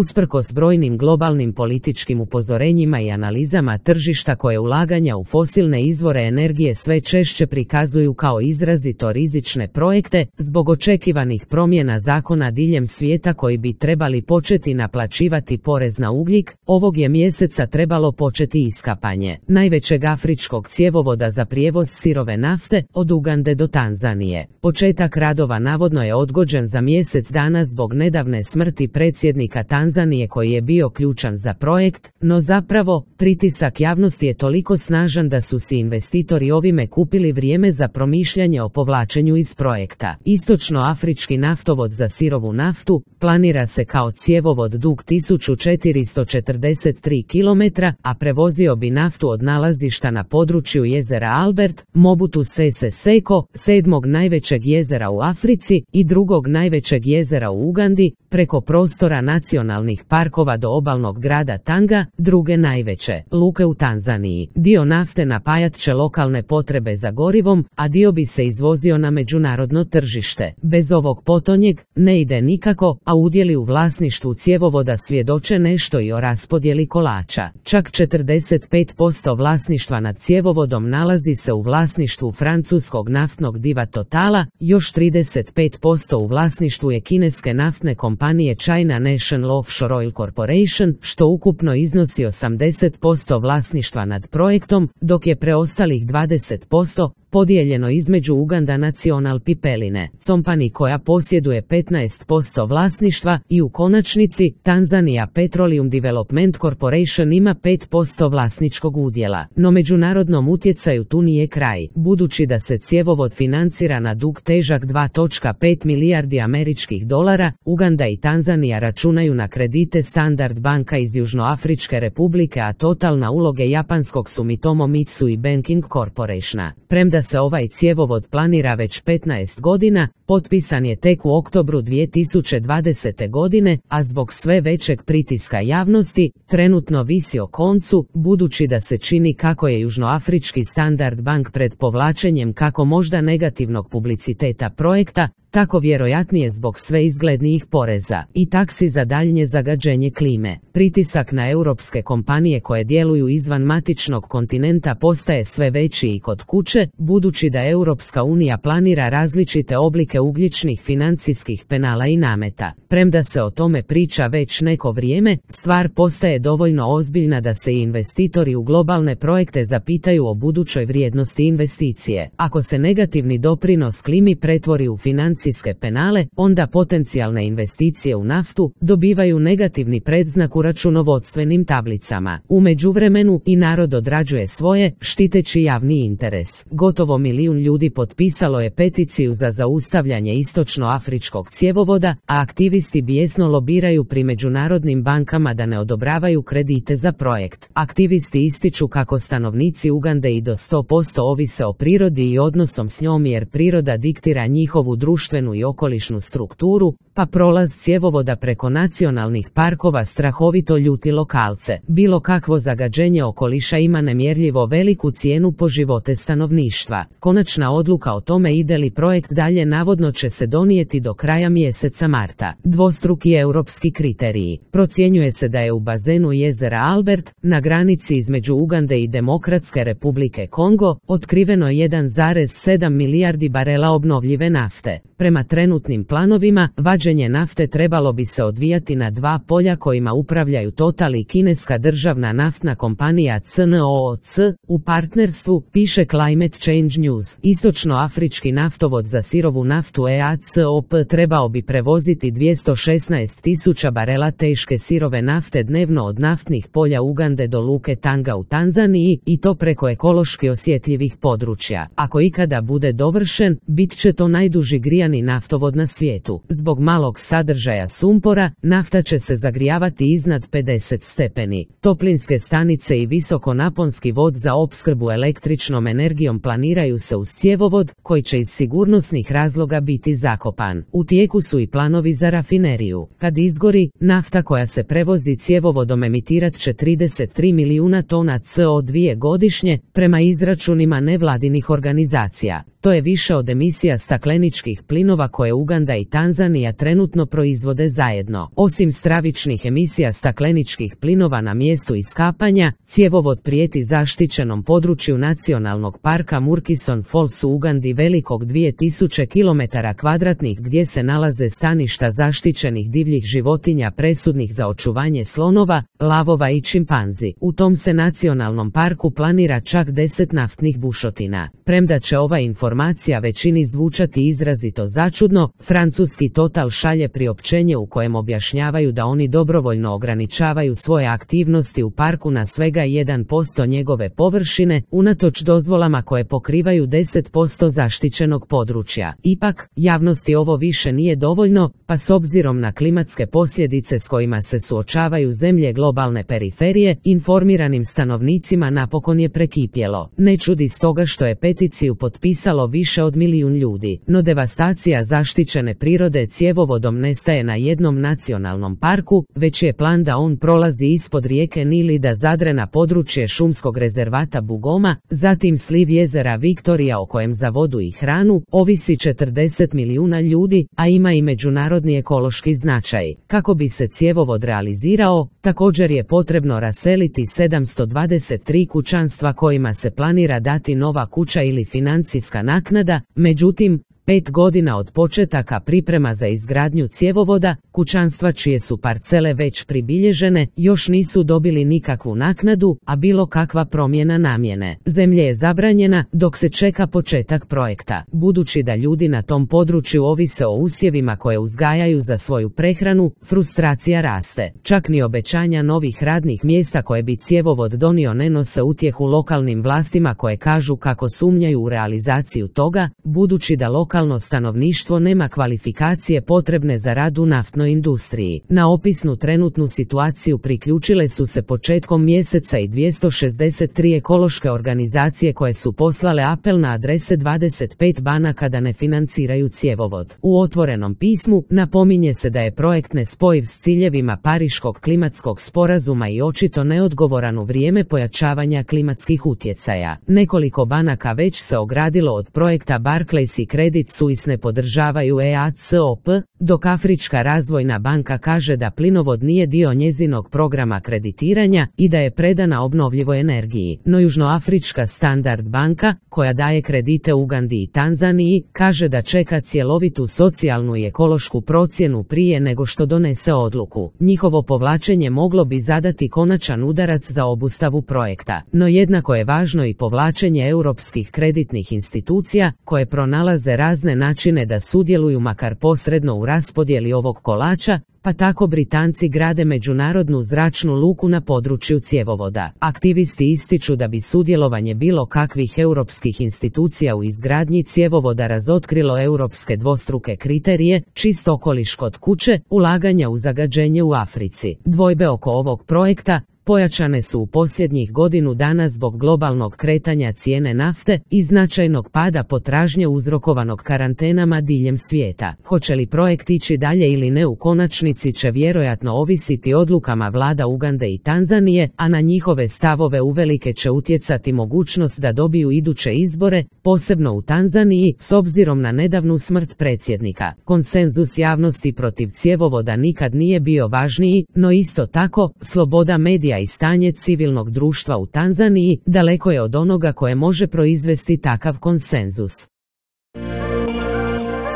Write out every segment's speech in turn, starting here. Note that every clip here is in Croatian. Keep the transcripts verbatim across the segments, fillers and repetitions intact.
Usprkos brojnim globalnim političkim upozorenjima i analizama tržišta koje ulaganja u fosilne izvore energije sve češće prikazuju kao izrazito rizične projekte, zbog očekivanih promjena zakona diljem svijeta koji bi trebali početi naplaćivati porez na ugljik, ovog je mjeseca trebalo početi iskapanje najvećeg afričkog cjevovoda za prijevoz sirove nafte od Ugande do Tanzanije. Početak radova navodno je odgođen za mjesec dana zbog nedavne smrti predsjednika Tanzanije koji je bio ključan za projekt, no zapravo, pritisak javnosti je toliko snažan da su si investitori ovime kupili vrijeme za promišljanje o povlačenju iz projekta. Istočnoafrički naftovod za sirovu naftu planira se kao cjevovod dug tisuću četiristo četrdeset tri kilometra, a prevozio bi naftu od nalazišta na području jezera Albert, Mobutu Sese Seko, sedmog najvećeg jezera u Africi i drugog najvećeg jezera u Ugandi, preko prostora nacionalnih parkova do obalnog grada Tanga, druge najveće luke u Tanzaniji. Dio nafte napajat će lokalne potrebe za gorivom, a dio bi se izvozio na međunarodno tržište. Bez ovog potonjeg ne ide nikako, a udjeli u vlasništvu cjevovoda svjedoče nešto i o raspodjeli kolača. Čak četrdeset pet posto vlasništva nad cjevovodom nalazi se u vlasništvu francuskog naftnog diva Totala, još trideset pet posto u vlasništvu je kineske naftne kompanije China National Offshore Oil Corporation, što ukupno iznosi osamdeset posto vlasništva nad projektom, dok je preostalih dvadeset posto podijeljeno između Uganda National Pipeline Company koja posjeduje petnaest posto vlasništva i u konačnici Tanzania Petroleum Development Corporation ima pet posto vlasničkog udjela. No međunarodnom utjecaju tu nije kraj, budući da se cjevovod financira na dug težak dva zarez pet milijardi američkih dolara, Uganda i Tanzanija računaju na kredite Standard banka iz Južnoafričke republike, a Total na uloge japanskog Sumitomo Mitsui Banking Corporationa. Premda se ovaj cjevovod planira već petnaest godina, potpisan je tek u oktobru dvije tisuće dvadesete godine, a zbog sve većeg pritiska javnosti, trenutno visi o koncu, budući da se čini kako je Južnoafrički Standard bank pred povlačenjem kako možda negativnog publiciteta projekta, tako vjerojatnije zbog sve izglednijih poreza i taksi za daljnje zagađenje klime. Pritisak na europske kompanije koje djeluju izvan matičnog kontinenta postaje sve veći i kod kuće, budući da Europska unija planira različite oblike ugljičnih financijskih penala i nameta. Premda se o tome priča već neko vrijeme, stvar postaje dovoljno ozbiljna da se i investitori u globalne projekte zapitaju o budućoj vrijednosti investicije. Ako se negativni doprinos klimi pretvori u financijske penale, onda potencijalne investicije u naftu dobivaju negativni predznak u računovodstvenim tablicama. U međuvremenu i narod odrađuje svoje, štiteći javni interes. Gotovo milijun ljudi potpisalo je peticiju za zaustavljanje istočnoafričkog cjevovoda, a aktivisti bijesno lobiraju pri međunarodnim bankama da ne odobravaju kredite za projekt. Aktivisti ističu kako stanovnici Ugande i do sto posto ovise o prirodi i odnosom s njom jer priroda diktira njihovu društvenu i okolišnu strukturu, pa prolaz cjevovoda preko nacionalnih parkova strahovito ljuti lokalce. Bilo kakvo zagađenje okoliša ima nemjerljivo veliku cijenu po živote stanovništva. Konačna odluka o tome ide li projekt dalje navodno će se donijeti do kraja mjeseca marta. Dvostruki europski kriteriji. Procjenjuje se da je u bazenu jezera Albert, na granici između Ugande i Demokratske republike Kongo, otkriveno jedan zarez sedam milijardi barela obnovljive nafte. Prema trenutnim planovima, vađenje nafte trebalo bi se odvijati na dva polja kojima upravljaju Total i kineska državna naftna kompanija C N O O C, u partnerstvu, piše Climate Change News. Istočnoafrički naftovod za sirovu naftu E A C O P trebao bi prevoziti dvjesto šesnaest tisuća barela teške sirove nafte dnevno od naftnih polja Ugande do luke Tanga u Tanzaniji, i to preko ekološki osjetljivih područja. Ako ikada bude dovršen, bit će to najduži grijani naftovod na svijetu. Zbog malog sadržaja sumpora, nafta će se zagrijavati iznad pedeset stepeni. Toplinske stanice i visokonaponski vod za opskrbu električnom energijom planiraju se uz cjevovod, koji će iz sigurnosnih razloga toga biti zakopan. U tijeku su i planovi za rafineriju. Kad izgori, nafta koja se prevozi cjevovodom emitirat će trideset tri milijuna tona C O dva godišnje, prema izračunima nevladinih organizacija. To je više od emisija stakleničkih plinova koje Uganda i Tanzanija trenutno proizvode zajedno. Osim stravičnih emisija stakleničkih plinova na mjestu iskapanja, cjevovod prijeti zaštićenom području nacionalnog parka Murchison Falls u Ugandi velikog dvije tisuće kilometara kvadratnih gdje se nalaze staništa zaštićenih divljih životinja presudnih za očuvanje slonova, lavova i čimpanzi. U tom se nacionalnom parku planira čak deset naftnih bušotina. Premda će ova informacija većini zvučati izrazito začudno, francuski Total šalje priopćenje u kojem objašnjavaju da oni dobrovoljno ograničavaju svoje aktivnosti u parku na svega jedan posto njegove površine, unatoč dozvolama koje pokrivaju deset posto zaštićenog područja. Ipak, javnosti ovo više nije dovoljno, pa s obzirom na klimatske posljedice s kojima se suočavaju zemlje globalne periferije, informiranim stanovnicima napokon je prekipjelo. Ne čudi stoga što je peticiju potpisalo više od milijun ljudi, no devastacija zaštićene prirode cjevovodom ne staje na jednom nacionalnom parku, već je plan da on prolazi ispod rijeke Nil i da zadre na područje šumskog rezervata Bugoma, zatim sliv jezera Viktorija o kojem za vodu i hranu ovisi četrdeset milijuna ljudi, a ima i međunarodni ekološki značaj. Kako bi se cjevovod realizirao, također je potrebno raseliti sedamsto dvadeset tri kućanstva kojima se planira dati nova kuća ili financijska naknada, međutim, pet godina od početaka priprema za izgradnju cjevovoda, kućanstva čije su parcele već pribilježene, još nisu dobili nikakvu naknadu, a bilo kakva promjena namjene zemlje je zabranjena dok se čeka početak projekta. Budući da ljudi na tom području ovise o usjevima koje uzgajaju za svoju prehranu, frustracija raste. Čak ni obećanja novih radnih mjesta koje bi cjevovod donio ne nose utjehu lokalnim vlastima koje kažu kako sumnjaju u realizaciju toga, budući da lokalno stanovništvo nema kvalifikacije potrebne za rad u naftnoj industriji. Na opisnu trenutnu situaciju priključile su se početkom mjeseca i dvjesto šezdeset tri ekološke organizacije koje su poslale apel na adrese dvadeset pet banaka da ne financiraju cjevovod. U otvorenom pismu napominje se da je projekt nespojiv s ciljevima Pariškog klimatskog sporazuma i očito neodgovoran u vrijeme pojačavanja klimatskih utjecaja. Nekoliko banaka već se ogradilo od projekta. Barclays i Credit Suisse ne podržavaju E A C O P, dok Afrička razvojna banka kaže da plinovod nije dio njezinog programa kreditiranja i da je predana obnovljivoj energiji. No Južnoafrička Standard banka, koja daje kredite Ugandi i Tanzaniji, kaže da čeka cjelovitu socijalnu i ekološku procjenu prije nego što donese odluku. Njihovo povlačenje moglo bi zadati konačan udarac za obustavu projekta. No jednako je važno i povlačenje europskih kreditnih institucija, koje pronalaze razne načine da sudjeluju makar posredno u raspodjeli ovog kolača, pa tako Britanci grade međunarodnu zračnu luku na području cjevovoda. Aktivisti ističu da bi sudjelovanje bilo kakvih europskih institucija u izgradnji cjevovoda razotkrilo europske dvostruke kriterije, čist okoliš kod kuće, ulaganja u zagađenje u Africi. Dvojbe oko ovog projekta pojačane su u posljednjih godinu dana zbog globalnog kretanja cijene nafte i značajnog pada potražnje uzrokovanog karantenama diljem svijeta. Hoće li projekt ići dalje ili ne u konačnici će vjerojatno ovisiti odlukama vlada Ugande i Tanzanije, a na njihove stavove uvelike će utjecati mogućnost da dobiju iduće izbore, posebno u Tanzaniji, s obzirom na nedavnu smrt predsjednika. Konsenzus javnosti protiv cjevovoda nikad nije bio važniji, no isto tako, sloboda medija i stanje civilnog društva u Tanzaniji daleko je od onoga koje može proizvesti takav konsenzus.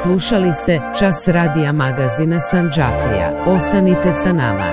Slušali ste Čas radija magazina Sandžaklija. Ostanite sa nama.